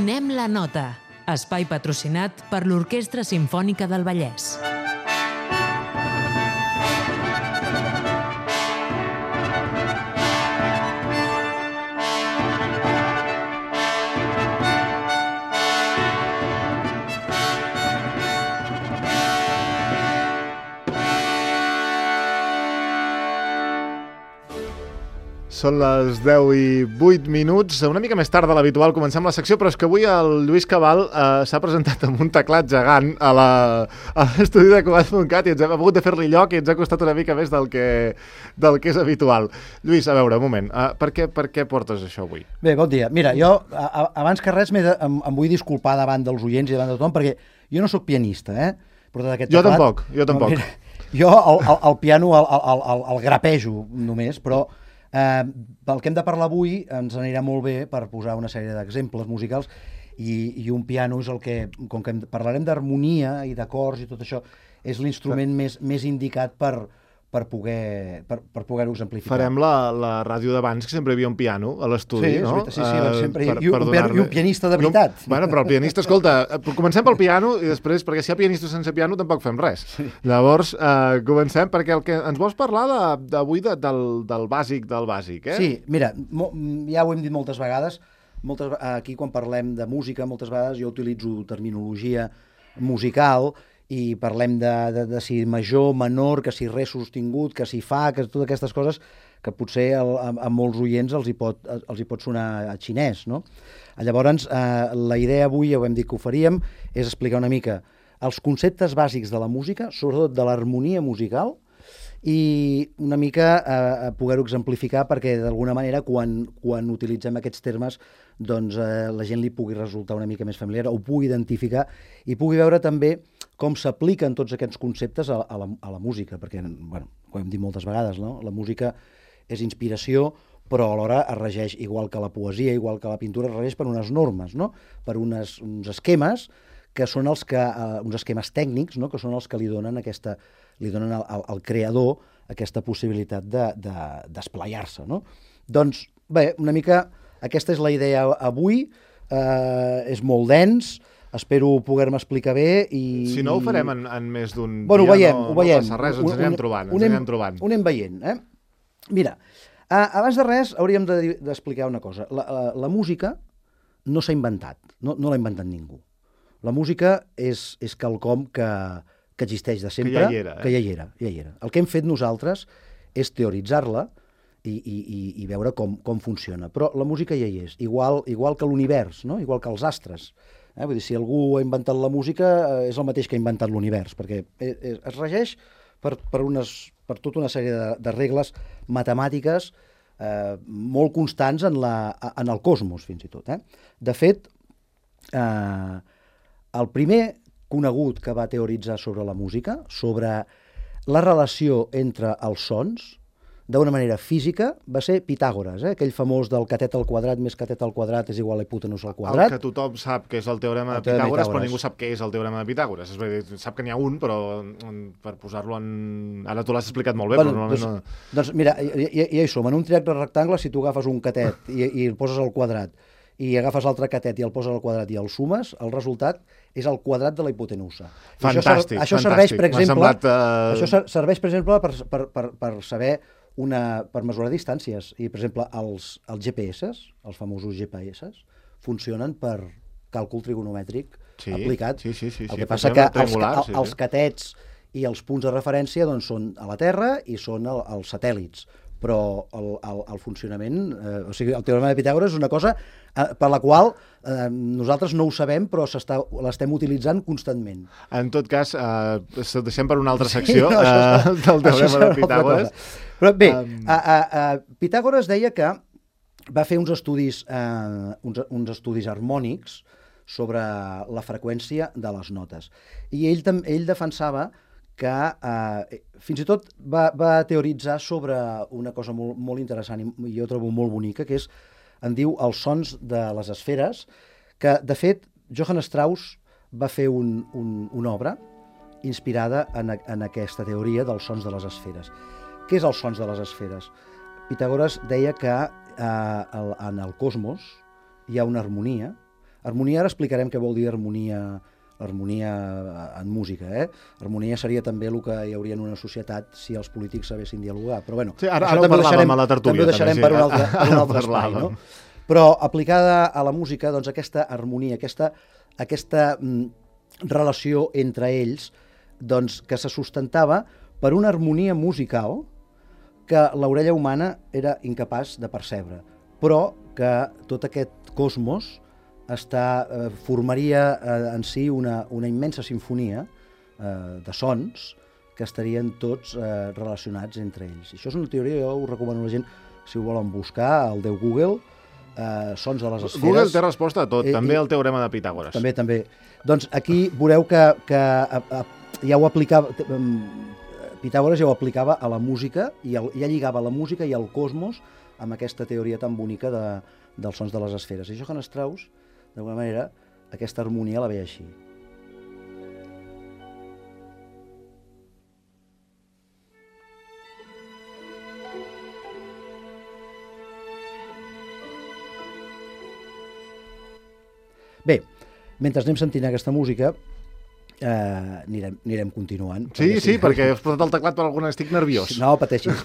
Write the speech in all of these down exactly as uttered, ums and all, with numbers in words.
Donem la nota. Espai patrocinat per l'Orquestra Simfònica del Vallès. Són les deu i vuit minuts, una mica més tard de l'habitual comencem la secció, però és que avui el Lluís Cabal eh, s'ha presentat amb un teclat gegant a l'estudi de Cugat punt cat i ens hem hagut de fer-li lloc i ens ha costat una mica més del que, del que és habitual. Lluís, a veure, un moment, uh, per, què, per què portes això avui? Bé, bon dia. Mira, jo a, abans que res de, em, em vull disculpar davant dels oients i davant de tothom, perquè jo no sóc pianista, eh? Aquest jo teclat, tampoc, jo tampoc. No, mira, jo el, el, el piano el, el, el, el grapejo només, però Eh, pel que hem de parlar avui ens anirà molt bé per posar una sèrie d'exemples musicals i, i un piano és el que, com que parlarem d'harmonia i d'acords i tot això, és l'instrument més, més indicat per, per poder per, per poder-ho exemplificar. Farem la, la ràdio d'abans, que sempre hi havia un piano a l'estudi, sí, no? Sí, sí, sí, sempre, uh, per, i, un, per i un pianista de veritat. No, bueno, però el pianista, escolta, comencem pel piano i després, perquè si hi ha pianistes sense piano tampoc fem res. Sí. Llavors, uh, comencem, perquè el que ens vols parlar d'avui de, de, del, del bàsic del bàsic, eh? Sí, mira, mo, ja ho hem dit moltes vegades, moltes, aquí quan parlem de música, moltes vegades jo utilitzo terminologia musical i parlem de, de, de si major, menor, que si res sostingut, que si fa, que totes aquestes coses que potser el, a, a molts oients els hi pot, els hi pot sonar a xinès, no? Llavors, eh, la idea avui, ja ho hem dit que ho faríem, és explicar una mica els conceptes bàsics de la música, sobretot de l'harmonia musical, i una mica eh, poder-ho exemplificar perquè d'alguna manera quan, quan utilitzem aquests termes doncs eh, la gent li pugui resultar una mica més familiar, ho pugui identificar i pugui veure també com s'apliquen tots aquests conceptes a, a, la, a la música, perquè, bueno, com hem dit moltes vegades, no? La música és inspiració, però alhora es regeix, igual que la poesia, igual que la pintura, es regeix per unes normes, no? Per unes, uns esquemes que són els que, uh, uns esquemes tècnics, no? Que són els que li donen aquesta, li donen al, al, al creador aquesta possibilitat de, de, d'esplayar-se, no? Doncs, bé, una mica aquesta és la idea avui, eh, és molt dens, espero poder-me explicar bé i... Si no ho farem en, en més d'un bueno, dia, ho veiem, no, ho veiem. no passa res, ens anirem trobant, ens anirem trobant. Ho anem veient, eh? Mira, uh, abans de res hauríem de, d'explicar una cosa. La, la, la música no s'ha inventat, no, no l'ha inventat ningú. La música és, és quelcom que, que existeix de sempre, que ja hi era, eh? que ja hi era, ja hi era. El que hem fet nosaltres és teoritzar-la i, i, i, i veure com, com funciona. Però la música ja hi és, igual, igual que l'univers, no? Igual que els astres. Eh? Vull dir, si algú ha inventat la música, eh, és el mateix que ha inventat l'univers, perquè es, es regeix per, per, unes, per tota una sèrie de, de regles matemàtiques eh, molt constants en, la, en el cosmos, fins i tot. Eh? De fet, eh, el primer conegut que va teoritzar sobre la música, sobre la relació entre els sons, d'una manera física, va ser Pitàgores, eh? Aquell famós del catet al quadrat més catet al quadrat és igual a hipotenús al quadrat. El que tothom sap que és el teorema el de Pitàgores, Pitàgores, però ningú sap què és el teorema de Pitàgores. És dir, sap que n'hi ha un, però per posar-lo en... Ara tu l'has explicat molt bé, bueno, però normalment doncs, no... Doncs mira, ja, ja hi som. En un triangle rectangle, si tu agafes un catet i, i el poses al quadrat, i agafes l'altre catet i el poses al quadrat i el sumes, el resultat és el quadrat de la hipotenusa. Fantàstic, això, això fantàstic. Serveix, per exemple, semblat, uh... això serveix, per exemple, per, per, per, per saber una, per mesurar distàncies. I, per exemple, els, els G P S, els famosos G P S, funcionen per càlcul trigonomètric sí, aplicat. Sí, sí, sí, el sí, que passa que els, sí, els catets i els punts de referència doncs, són a la Terra i són el, els satèl·lits. Però el, el, el funcionament, eh, o sigui, el teorema de Pitàgores és una cosa eh, per la qual eh, nosaltres no ho sabem, però l'estem utilitzant constantment. En tot cas, eh, deixem per una altra secció sí, no, eh, del teorema de Pitàgores. Però bé, um... a, a, a Pitàgores deia que va fer uns estudis, eh, uns, uns estudis harmònics sobre la freqüència de les notes. I ell, ell defensava que eh, fins i tot va, va teoritzar sobre una cosa molt, molt interessant i jo trobo molt bonica, que és, en diu, els sons de les esferes, que, de fet, Johann Strauss va fer un, un, una obra inspirada en, en aquesta teoria dels sons de les esferes. Què és els sons de les esferes? Pitàgores deia que eh, el, en el cosmos hi ha una harmonia Harmonia, ara explicarem què vol dir harmonia, harmonia en música. Eh? Harmonia seria també el que hi hauria en una societat si els polítics sabessin dialogar. Però bueno, sí, ara, ara ho parlàvem a la tertúlia. També ho deixarem també, sí. per un altre, per un altre espai. No? Però aplicada a la música, doncs aquesta harmonia, aquesta, aquesta mm, relació entre ells, doncs, que se sustentava per una harmonia musical que l'orella humana era incapaç de percebre, però que tot aquest cosmos està, eh, formaria eh, en si una, una immensa sinfonia eh, de sons que estarien tots eh, relacionats entre ells. I això és una teoria, jo ho recomano a la gent, si ho volen buscar, al Déu Google, eh, sons de les esferes. Google té resposta a tot, eh, també eh, el teorema de Pitàgores. També, també. Doncs aquí veureu que, que a, a, ja ho aplicava, Pitàgores ja ho aplicava a la música, i el, ja lligava la música i el cosmos amb aquesta teoria tan bonica de, dels sons de les esferes. I Johann Strauss, d'alguna manera, aquesta harmonia la veia així. Bé, mentre anem sentint aquesta música, eh, anirem, anirem continuant. Sí, perquè, sí, perquè has posat el teclat per alguna... Estic nerviós. No pateixis.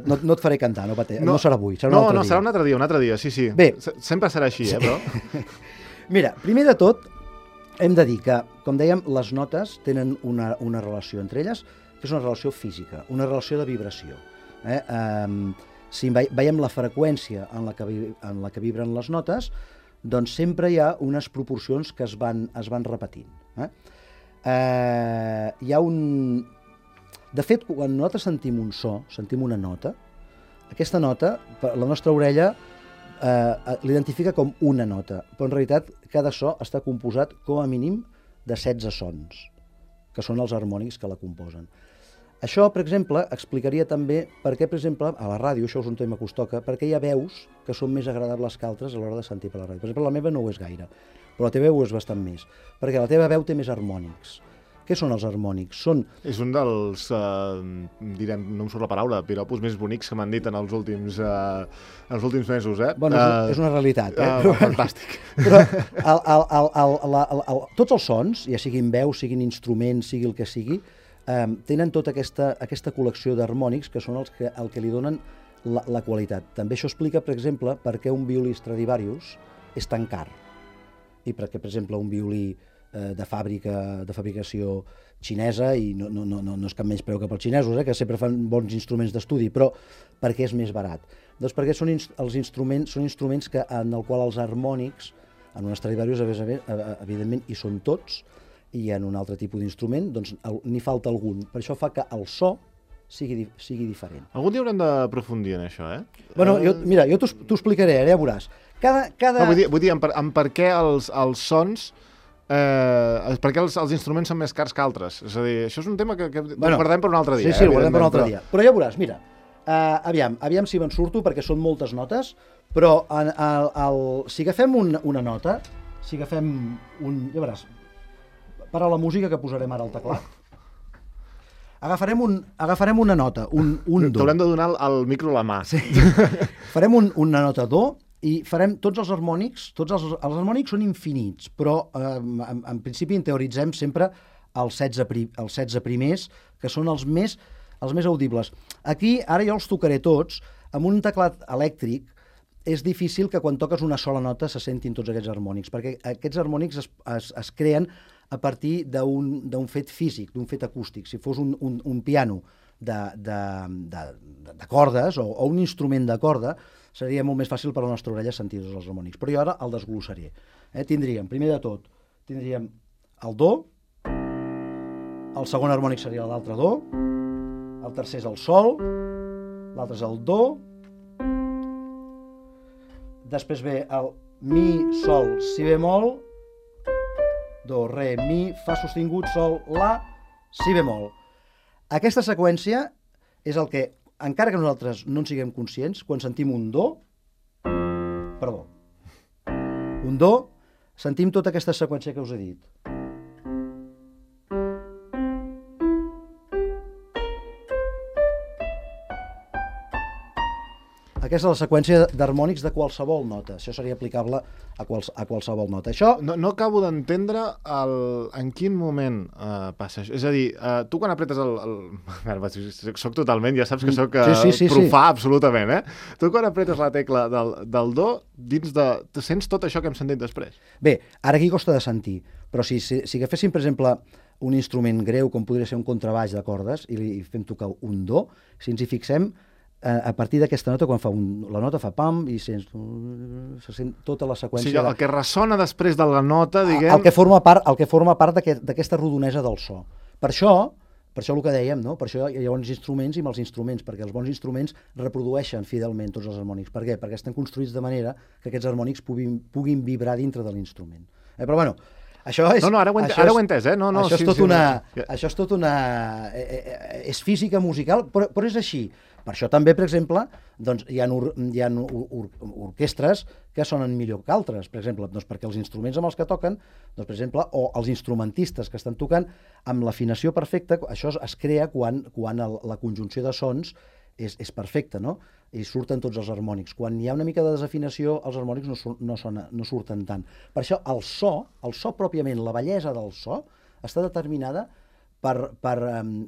No, no et faré cantar, no, pateixis. No, no serà avui, serà un no, altre no, dia. No, serà un altre dia, un altre dia, sí, sí. Bé. Sempre serà així, eh, però... Mira, primer de tot, hem de dir que, com dèiem, les notes tenen una, una relació entre elles, que és una relació física, una relació de vibració. Eh? Um, si veiem la freqüència en la, que, en la que vibren les notes, doncs sempre hi ha unes proporcions que es van, es van repetint. Eh? Eh, hi ha un... De fet, quan nosaltres sentim un so, sentim una nota, aquesta nota, la nostra orella eh, l'identifica com una nota, però en realitat cada so està composat com a mínim de setze sons, que són els harmònics que la composen. Això, per exemple, explicaria també per què, per exemple, a la ràdio, això és un tema que us toca, perquè hi ha veus que són més agradables que altres a l'hora de sentir per la ràdio. Per exemple, la meva no ho és gaire, però la teva ho és bastant més, perquè la teva veu té més harmònics. Què són els harmònics? Són... És un dels, eh, direm, no em surt la paraula, piropos més bonics que m'han dit en els últims, eh, els últims mesos, eh? Bueno, uh, és una realitat, eh? Uh, fantàstic. Però el, el, el, el, el, el, el, tots els sons, ja siguin veus, siguin instruments, sigui el que sigui, eh, tenen tota aquesta, aquesta col·lecció d'harmònics que són els que, el que li donen la, la qualitat. També això explica, per exemple, per què un violí Stradivarius és tan car. I perquè, per exemple, un violí de fàbrica, de fabricació xinesa, i no, no, no, no és cap menys preu que pels xinesos, eh, que sempre fan bons instruments d'estudi, però perquè és més barat? Doncs perquè són, els instruments, són instruments que, en el qual els harmònics, en un Stradivarius, evidentment, hi són tots, i en un altre tipus d'instrument doncs, n'hi falta algun. Per això fa que el so sigui, sigui diferent. Algun dia haurem d'aprofundir en això, eh? Bueno, jo, mira, jo t'ho explicaré, ara ja veuràs. Cada, cada... No, vull dir, vull dir en, per, en per què els, els sons... Eh, perquè els, els instruments són més cars que altres. És a dir, això és un tema que, que bueno, guardem per un altre dia. Sí, sí, eh, ho guardem per un altre però... dia. Però ja veuràs, mira, uh, aviam, aviam si me'n surto, perquè són moltes notes, però en, el, el, si agafem un, una nota, si agafem un... Ja veuràs, para la música que posarem ara al teclat. Agafarem, un, agafarem una nota, un, un do. T'haurem de donar el, el micro a la mà. Sí. Farem un, una nota do, i farem tots els harmònics, tots els, els harmònics són infinits, però eh, en, en principi en teoritzem sempre els setze, pri, els setze primers, que són els més, els més audibles. Aquí, ara jo els tocaré tots, amb un teclat elèctric és difícil que quan toques una sola nota se sentin tots aquests harmònics, perquè aquests harmònics es, es, es creen a partir d'un fet físic, d'un fet acústic. Si fos un, un, un piano de, de, de, de cordes o, o un instrument de corda, seria molt més fàcil per a la nostra orella sentir tots els harmònics. Però jo ara el desglossaré. Eh? Tindríem, primer de tot, tindríem el do, el segon harmònic seria l'altre do, el tercer és el sol, l'altre és el do, després ve el mi, sol, si bemol, do, re, mi, fa sostingut, sol, la, si bemol. Aquesta seqüència és el que, encara que nosaltres no en siguem conscients, quan sentim un do, perdó, un do, sentim tota aquesta seqüència que us he dit. Aquesta és la seqüència d'harmònics de qualsevol nota. Això seria aplicable a, quals, a qualsevol nota. Això... No, no acabo d'entendre el... en quin moment uh, passa això. És a dir, uh, tu quan apretes el... el... Soc totalment, ja saps que soc uh, sí, sí, sí, profà sí. absolutament, eh? Tu quan apretes la tecla del, del do, dins de... Te sents tot això que hem sentit després? Bé, ara aquí costa de sentir, però si, si, si agaféssim, per exemple, un instrument greu, com podria ser un contrabaix de cordes, i li fem tocar un do, si ens hi fixem, a partir d'aquesta nota, quan fa un, la nota fa pam i sents, se sent tota la seqüència... O sigui, el que ressona després de la nota, diguem... El que forma part, el que forma part d'aquesta rodonesa del so. Per això, per això el que dèiem, no? Per això hi ha bons instruments i mals instruments, perquè els bons instruments reprodueixen fidelment tots els harmònics. Per què? Perquè estan construïts de manera que aquests harmònics puguin, puguin vibrar dintre de l'instrument. Eh, però bueno, això és... No, no, ara ho, ent això ara és, ho he entès, eh? No, no, això, sí, és tot sí, una, no. això és tot una... És física musical, però, però és així. Per això també, per exemple, doncs, hi ha, or, hi ha or, or, orquestres que sonen millor que altres, per exemple, doncs perquè els instruments amb els que toquen, doncs, per exemple, o els instrumentistes que estan tocant amb l'afinació perfecta, això es, es crea quan, quan el, la conjunció de sons és, és perfecta, no? I surten tots els harmònics. Quan hi ha una mica de desafinació, els harmònics no, no, sona, no surten tant. Per això el so, el so pròpiament, la bellesa del so, està determinada per, per,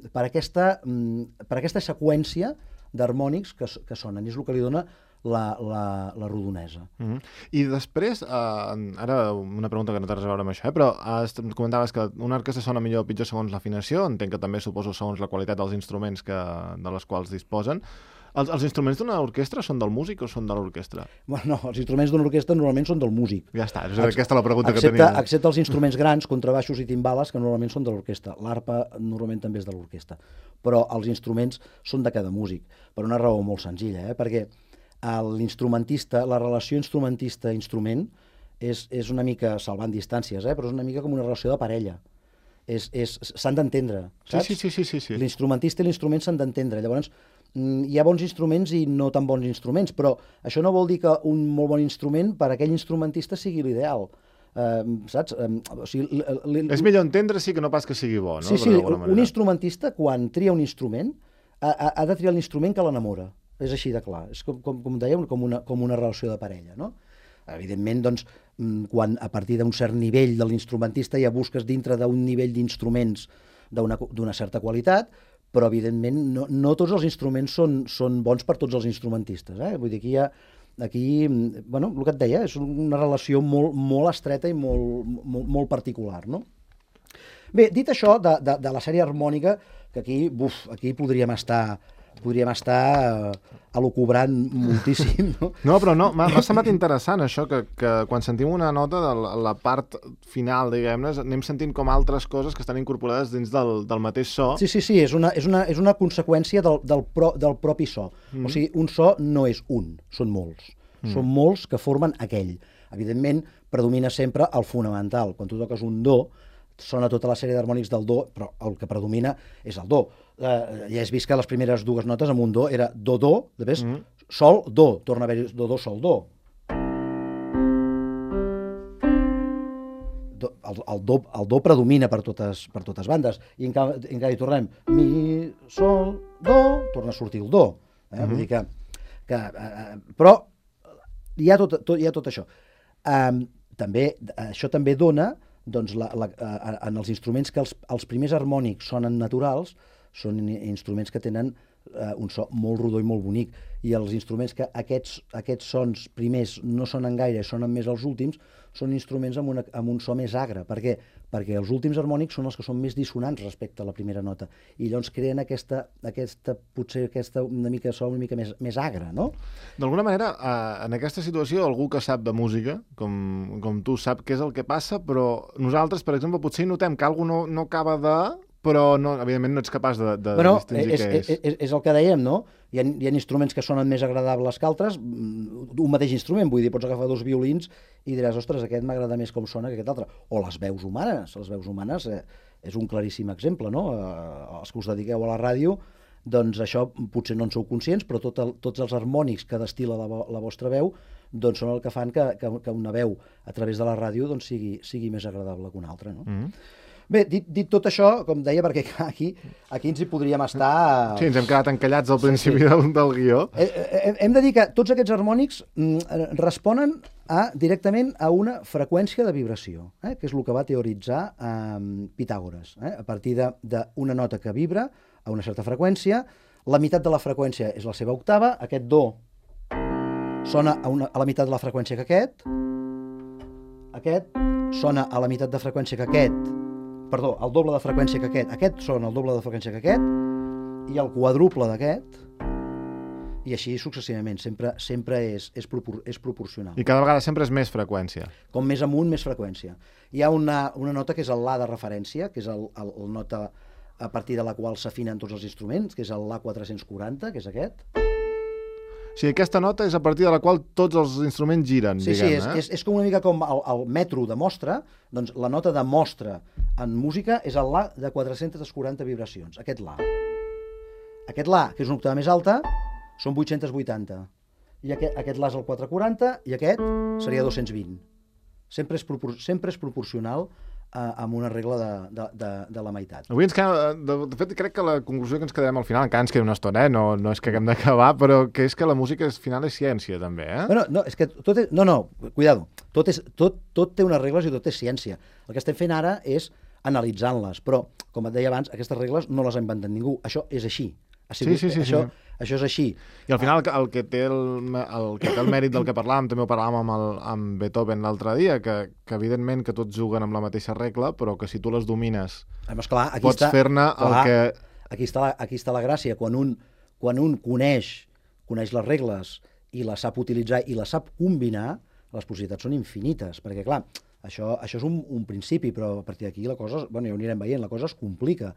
per, aquesta, per aquesta seqüència d'harmònics que, que sonen, i és el que li dona la, la, la rodonesa. Mm-hmm. I després, eh, ara una pregunta que no té res a veure amb això, eh, però eh, comentaves que una orquestra sona millor o pitjor segons l'afinació, entenc que també suposo segons la qualitat dels instruments que, de les quals disposen. Els, els instruments d'una orquestra són del músic o són de l'orquestra? Bueno, no, els instruments d'una orquestra normalment són del músic. Ja està, és aquesta la pregunta excepte, que tenia. Excepte els instruments grans, contrabaixos i timbales, que normalment són de l'orquestra. L'arpa normalment també és de l'orquestra. Però els instruments són de cada músic, per una raó molt senzilla, eh? Perquè l'instrumentista, la relació instrumentista-instrument és, és una mica, salvant distàncies, eh? Però és una mica com una relació de parella. S'han d'entendre, saps? Sí, sí, sí, sí, sí. L'instrumentista i l'instrument s'han d'entendre. Llavors, hi ha bons instruments i no tan bons instruments, però això no vol dir que un molt bon instrument per a aquell instrumentista sigui l'ideal. Uh, saps? Uh, o sigui, és millor entendre, sí, que no pas que sigui bo, no? Sí, sí, un instrumentista, quan tria un instrument, ha, ha de triar l'instrument que l'enamora. És així de clar. És com, com, com dèiem, com una, com una relació de parella, no? Evidentment, doncs, quan a partir d'un cert nivell de l'instrumentista ja busques dintre d'un nivell d'instruments d'una certa qualitat, però evidentment no, no tots els instruments són, són bons per tots els instrumentistes. Eh? Vull dir, aquí hi ha, aquí, bueno, el que et deia, és una relació molt, molt estreta i molt, molt, molt particular, no? Bé, dit això de, de, de la sèrie harmònica, que aquí, buf, aquí podríem estar... podríem estar elucubrant moltíssim, no? No, però no, m'ha semblat interessant això, que, que quan sentim una nota de la, la part final, diguem-ne, anem sentint com altres coses que estan incorporades dins del, del mateix so. Sí, sí, sí, és una, és una, és una conseqüència del, del, pro, del propi so. Mm. O sigui, un so no és un, són molts. Mm. Són molts que formen aquell. Evidentment, predomina sempre el fonamental. Quan tu toques un do, sona tota la sèrie d'harmònics del do, però el que predomina és el do. Uh, ja has vist que les primeres dues notes amb un do era do-do, després mm. sol-do, torna a haver-hi do-do, sol-do. Do, el, el, do, el do predomina per totes, per totes bandes, i en canvi, en canvi tornem mi, sol, do, torna a sortir el do. Eh? Mm-hmm. Vull dir que... que uh, però hi ha tot, tot, hi ha tot això. Um, també, això també dona, doncs, la, la, uh, en els instruments que els, els primers harmònics sonen naturals, són instruments que tenen uh, un so molt rodó i molt bonic, i els instruments que aquests, aquests sons primers no sonen gaire, sonen més els últims, són instruments amb, una, amb un so més agre. Per què? Perquè els últims harmònics són els que són més dissonants respecte a la primera nota, i llavors creen aquesta, aquesta potser aquesta una mica so una mica més, més agre, no? D'alguna manera, eh, en aquesta situació, algú que sap de música, com, com tu, sap què és el que passa, però nosaltres, per exemple, potser notem que alguna no, no acaba de... però no, evidentment no ets capaç de, de bueno, distingir és, què és. És, és. És el que dèiem, no? Hi ha, hi ha instruments que sonen més agradables que altres, un mateix instrument, vull dir, pots agafar dos violins i diràs, ostres, aquest m'agrada més com sona que aquest altre. O les veus humanes, les veus humanes eh, és un claríssim exemple, no? Eh, els que us dediqueu a la ràdio, doncs això potser no en sou conscients, però tot el, tots els harmònics que destila la, la vostra veu doncs són el que fan que, que, que una veu a través de la ràdio doncs sigui, sigui més agradable que una altra, no? Mm-hmm. Bé, dit, dit tot això, com deia, perquè aquí, aquí ens hi podríem estar... Sí, ens hem quedat encallats al principi sí, sí. Del, del guió. Eh, hem de dir que tots aquests harmònics mm, responen a, directament a una freqüència de vibració, eh, que és el que va teoritzar eh, Pitàgores. Eh? A partir d'una nota que vibra a una certa freqüència, la meitat de la freqüència és la seva octava, aquest do sona a, una, a la meitat de la freqüència que aquest, aquest sona a la meitat de freqüència que aquest, perdó, el doble de freqüència que aquest, aquest sona el doble de freqüència que aquest, i el quadruple d'aquest, i així successivament, sempre, sempre és, és, propor és proporcional. I cada vegada sempre és més freqüència. Com més amunt, més freqüència. Hi ha una, una nota que és el La de referència, que és el, el, el nota a partir de la qual s'afinen tots els instruments, que és el La quatre-cents quaranta, que és aquest. O sigui, aquesta nota és a partir de la qual tots els instruments giren, sí, diguem, sí, és, eh? és, és com una mica com el, el metro de mostra, doncs la nota de mostra en música és el La de quatre-cents quaranta vibracions, aquest La. Aquest La, que és una octava més alta, són vuit-cents vuitanta. I aquest, aquest La és el quatre quaranta i aquest seria dos-cents vint. Sempre és, propor sempre és proporcional eh, amb una regla de, de, de, de la meitat. Avui ens queda, de, de fet, crec que la conclusió que ens quedarem al final, encara ens queda una estona, eh? no, no és que haguem d'acabar, però que és que la música al final és ciència, també, eh? Bueno, no, és que tot és, no, no, cuidado, tot, és, tot, tot té unes regles i tot és ciència. El que estem fent ara és analitzant-les, però, com et deia abans, aquestes regles no les ha inventat ningú. Això és així. Ha sigut, sí, sí, sí, això, sí. Això és així. I al final el que té el, el, que té el mèrit del que parlàvem, també ho parlàvem amb, el, amb Beethoven l'altre dia, que, que evidentment que tots juguen amb la mateixa regla, però que si tu les domines Además, clar, aquí pots fer-ne el que... Aquí està, la, aquí està la gràcia. Quan un, quan un coneix, coneix les regles i les sap utilitzar i les sap combinar, les possibilitats són infinites, perquè clar, això, això és un, un principi, però a partir d'aquí la cosa, bueno, ja ho anirem veient, la cosa es complica,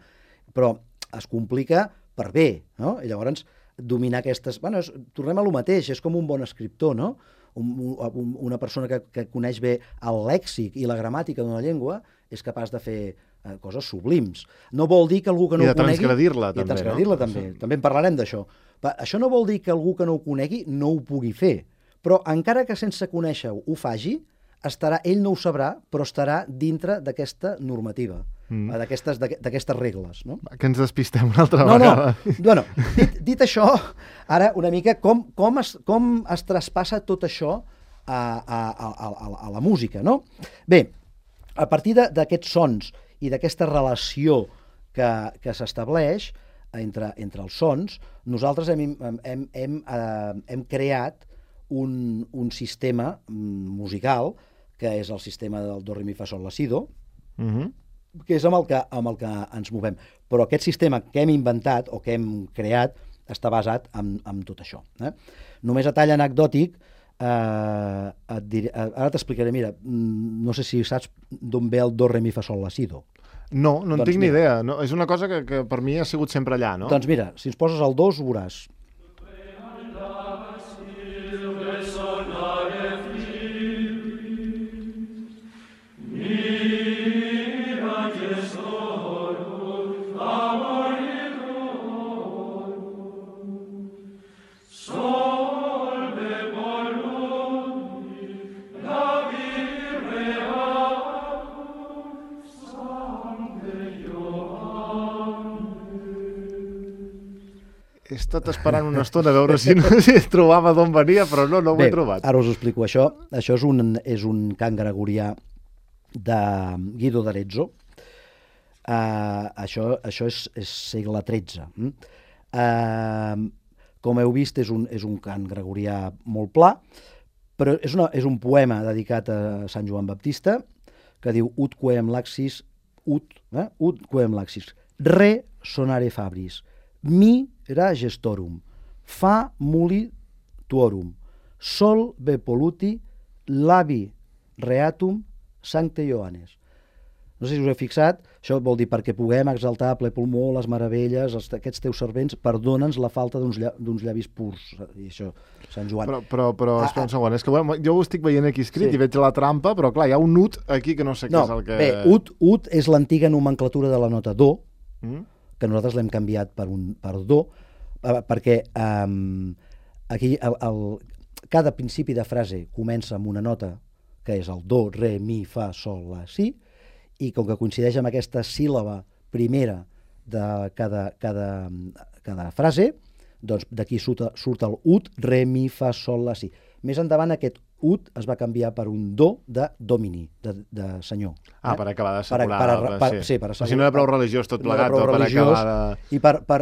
però es complica per bé, no? I llavors dominar aquestes... Bueno, és, tornem a lo mateix, és com un bon escriptor, no? Un, un, una persona que, que coneix bé el lèxic i la gramàtica d'una llengua és capaç de fer eh, coses sublims. No vol dir que algú que no I ho conegui... I de transgredir-la, també, també, transgredir-la, no? també. També en parlarem d'això. Això no vol dir que algú que no ho conegui no ho pugui fer, però encara que sense conèixer-ho ho faci, estarà, ell no ho sabrà, però estarà dintre d'aquesta normativa, mm. d'aquestes regles. No? Que ens despistem una altra no, vegada. No, bueno, dit, dit això, ara una mica com, com, es, com es traspassa tot això a, a, a, a, a la música, no? Bé, a partir d'aquests sons i d'aquesta relació que, que s'estableix entre, entre els sons, nosaltres hem, hem, hem, eh, hem creat un, un sistema musical que és el sistema del do, re, mi, fa, sol, la, si, do, uh-huh. que és amb el que, amb el que ens movem. Però aquest sistema que hem inventat o que hem creat està basat en, en tot això. Eh? Només a tall anecdòtic, eh, et diré, ara t'explicaré, mira, no sé si saps d'on ve el do, re, mi, fa, sol, la, si, do. No, no en doncs tinc ni mira, idea. No, és una cosa que, que per mi ha sigut sempre allà, no? Doncs mira, si ens poses el dos, ho veuràs. He estat esperant una estona a veure si, no, si trobava d'on venia, però no, no ho Bé, he trobat. Ara us ho explico. Això, això és, un, és un cant gregorià de Guido d'Arezzo. Uh, això, això és, és segle tretze. Uh, com heu vist, és un, és un cant gregorià molt pla, però és, una, és un poema dedicat a Sant Joan Baptista que diu ut quem laxis, ut, eh? ut quem laxis, re sonare fabris, mi era gestorum, fa muli tuorum, sol ve poluti, labi reatum sancte Ioannes. No sé si us heu fixat, això vol dir perquè puguem exaltar a ple pulmó les meravelles, els, aquests teus servents, perdona'ns la falta d'uns lla, llavis purs. I això, Sant Joan. Però, però, però ah, espera un segon, és que bueno, jo ho estic veient aquí escrit sí. I veig la trampa, però clar, hi ha un ut aquí que no sé no, què és el que... Bé, ut, ut és l'antiga nomenclatura de la nota do, mm? que nosaltres l'hem canviat per, un, per do, perquè um, aquí el, el, cada principi de frase comença amb una nota que és el do, re, mi, fa, sol, la, si, i com que coincideix amb aquesta síl·laba primera de cada, cada, cada frase, doncs d'aquí surt, surt el ut, re, mi, fa, sol, la, si. Més endavant aquest ut es va canviar per un do de domini, de, de senyor. Ah, eh? per acabar d'assegurar. Per, per, per, sí, per assegurar. Si no era prou religiós tot plegat, no o per acabar de... I per, per,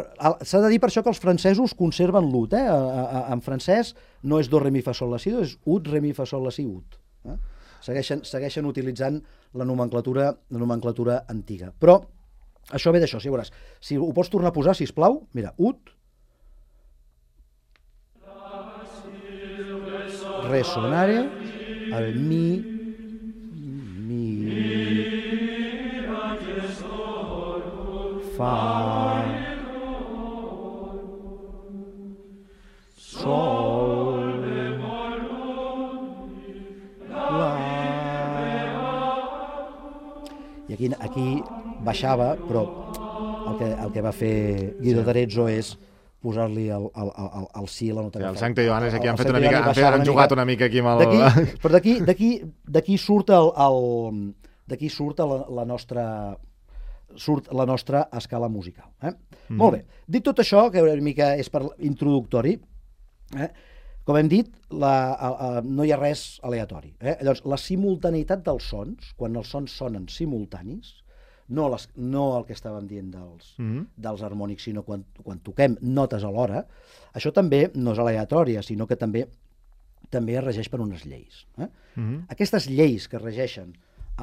s'ha de dir per això que els francesos conserven l'ut. Eh? A, a, en francès no és do, re, mi, fa, sol, la, si, és ut, re, mi, fa, sol, la, si, ut. Eh? Segueixen, segueixen utilitzant la nomenclatura, la nomenclatura antiga. Però això ve d'això, si veuràs. Si ho pots tornar a posar, sisplau, mira, ut, resonare, el mi, mi, fa, sol, la... I aquí, aquí baixava, però el que, el que va fer Guido d'Arezzo és posar-li el, el, el, el si, la nota. Sí, el Sancta Ioannes aquí han fet una mica, han, fet, han jugat una mica aquí amb el... Però d'aquí surt el, el d'aquí surt la, la nostra surt la nostra escala musical. Eh? Mm. Molt bé. Dit tot això, que una mica és per introductori, eh? Com hem dit, la, a, a, no hi ha res aleatori. Eh? Llavors, la simultaneïtat dels sons, quan els sons sonen simultanis, no, les, no el que estàvem dient dels, mm-hmm. dels harmònics, sinó quan, quan toquem notes alhora, això també no és aleatòria, sinó que també també es regeix per unes lleis. Eh? Mm-hmm. Aquestes lleis que regeixen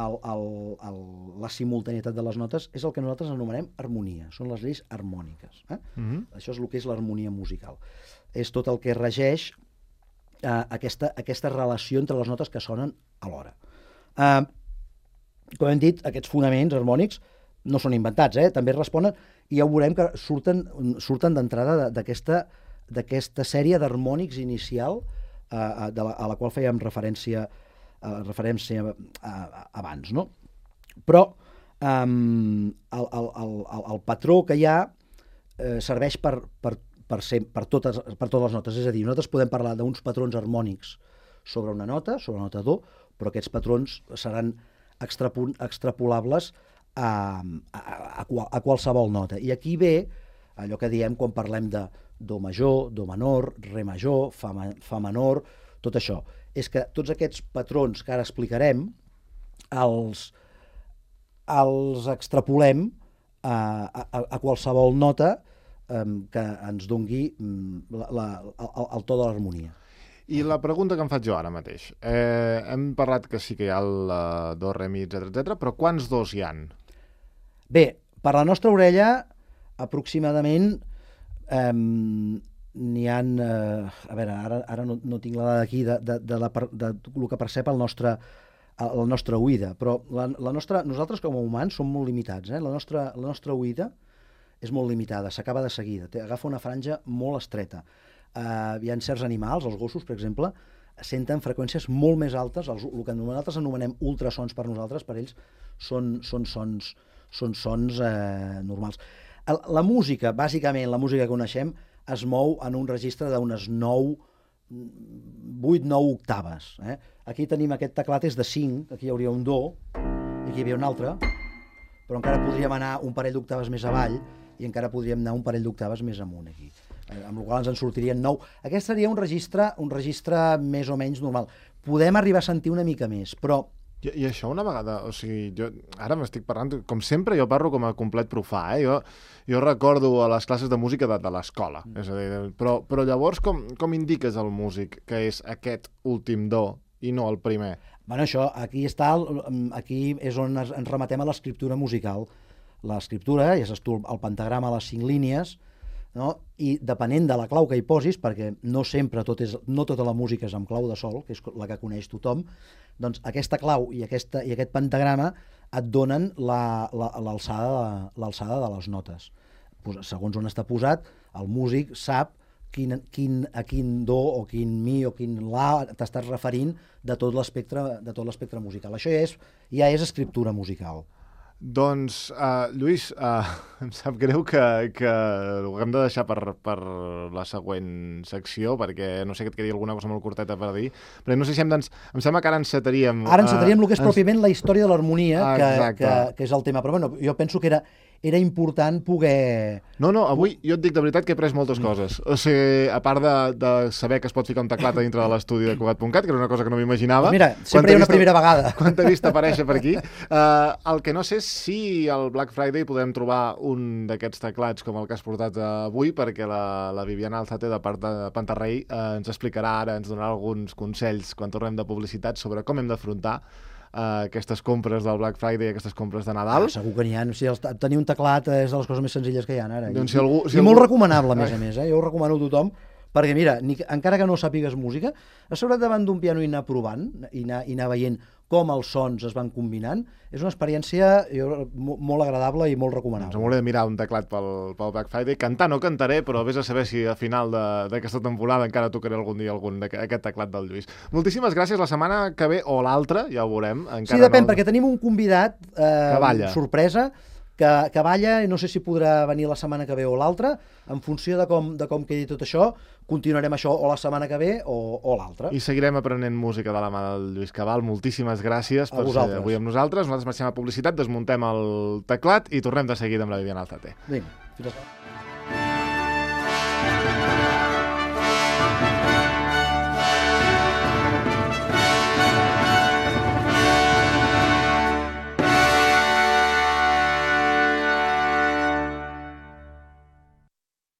el, el, el, la simultaneïtat de les notes és el que nosaltres anomenem harmonia, són les lleis harmòniques. Eh? Mm-hmm. Això és el que és l'harmonia musical. És tot el que regeix eh, aquesta, aquesta relació entre les notes que sonen alhora. Eh, Com hem dit, aquests fonaments harmònics no són inventats, eh? També responen, i ja ho veurem que surten, surten d'entrada d'aquesta d'aquesta sèrie d'harmònics inicial eh, de la, a la qual fèiem referència, eh, referència eh, abans, no? Però eh, el, el, el, el patró que hi ha eh, serveix per, per, per, ser, per, totes, per totes les notes, és a dir, nosaltres podem parlar d'uns patrons harmònics sobre una nota, sobre una nota do, però aquests patrons seran extrapolables a, a, a, a qualsevol nota. I aquí ve allò que diem quan parlem de do major, do menor, re major, fa, fa menor, tot això. És que tots aquests patrons que ara explicarem els, els extrapolem a, a, a qualsevol nota eh, que ens dongui la, la, el, el to de l'harmonia. I la pregunta que em faig jo ara mateix. Eh, hem parlat que sí que hi ha el uh, do, re, mi, etcètera, etcètera, però quants dos hi han? Bé, per la nostra orella, aproximadament eh, n'hi ha... Eh, a veure, ara, ara no, no tinc la dada aquí de, de, de, la, de, de el que percep el nostre, la nostra oïda, però la, la nostra, nosaltres com a humans som molt limitats. Eh? La, nostra, la nostra oïda és molt limitada, s'acaba de seguida, agafa una franja molt estreta. Uh, hi ha certs animals, els gossos, per exemple, senten freqüències molt més altes, els, el que nosaltres anomenem ultrasons per nosaltres, per ells són, són sons, són sons eh, normals. El, la música, bàsicament, la música que coneixem, es mou en un registre d'unes nou, vuit nou octaves. Eh? Aquí tenim aquest teclat, és de cinc, aquí hi hauria un do, i aquí hi havia un altre, però encara podríem anar un parell d'octaves més avall, i encara podríem anar un parell d'octaves més amunt, aquí. Amb la qual ens en sortirien nou. Aquest seria un registre, un registre més o menys normal. Podem arribar a sentir una mica més, però... I, i això una vegada, o sigui, jo ara m'estic parlant, com sempre jo parlo com a complet profà, eh? Jo, jo recordo a les classes de música de, de l'escola, mm. és a dir, però, però llavors com, com indiques al músic que és aquest últim do i no el primer? Bueno, això, aquí està, aquí és on ens rematem a l'escriptura musical. L'escriptura, ja saps tu, el pentagrama a les cinc línies, no? I depenent de la clau que hi posis, perquè no sempre tot és, no tota la música és amb clau de sol, que és la que coneix tothom, doncs aquesta clau i, aquesta, i aquest pentagrama et donen l'alçada la, la, de, de les notes. Segons on està posat, el músic sap quin, quin, a quin do o quin mi o quin la t'estàs referint de tot l'espectre de tot l'espectre musical. Això ja és, ja és escriptura musical. Doncs, uh, Lluís, uh, em sap greu que, que ho haguem de deixar per, per la següent secció, perquè no sé que et quedi alguna cosa molt curteta per dir, però no sé si hem d'ens... Em sembla que ara encetaríem... Ara encetaríem uh, el que és ens... pròpiament la història de l'harmonia, ah, que, que, que és el tema. Però bueno, jo penso que era, era important poder... No, no, avui jo et dic de veritat que he après moltes coses. O sigui, a part de, de saber que es pot ficar un teclat a dintre de l'estudi de Cugat punt cat, que era una cosa que no m'imaginava... Pues mira, sempre hi ha una primera vegada. Quan t'he vist aparèixer per aquí. Uh, el que no sé és si al Black Friday podem trobar un d'aquests teclats com el que has portat avui, perquè la, la Viviana Alzate, de part de Pantarrey, uh, ens explicarà ara, ens donarà alguns consells quan tornem de publicitat sobre com hem d'afrontar Uh, aquestes compres del Black Friday, aquestes compres de Nadal. Ah, segur que n'hi ha. O sigui, el, tenir un teclat és de les coses més senzilles que hi ha ara. Doncs I, si algú, si i algú... molt recomanable, a més a més. Eh? Jo ho recomano a tothom, perquè mira, ni, encara que no sàpigues música, asseure't davant d'un piano i anar provant, i anar, i anar veient com els sons es van combinant, és una experiència jo, molt agradable i molt recomanable. Doncs m'hauré de mirar un teclat pel, pel Black Friday. Cantar no cantaré, però vés a saber si a final d'aquesta temporada encara tocaré algun dia algun aquest teclat del Lluís. Moltíssimes gràcies. La setmana que ve o l'altra, ja ho veurem. Encara sí, depèn, no... perquè tenim un convidat eh, sorpresa, que, que balla, i no sé si podrà venir la setmana que ve o l'altra. En funció de com, de com quedi tot això, continuarem això o la setmana que ve o, o l'altra. I seguirem aprenent música de la mà del Lluís Cabal. Moltíssimes gràcies per ser avui amb nosaltres. Nosaltres marxem a publicitat, desmuntem el teclat i tornem de seguida amb la Viviana Alzate. Vinga, fins a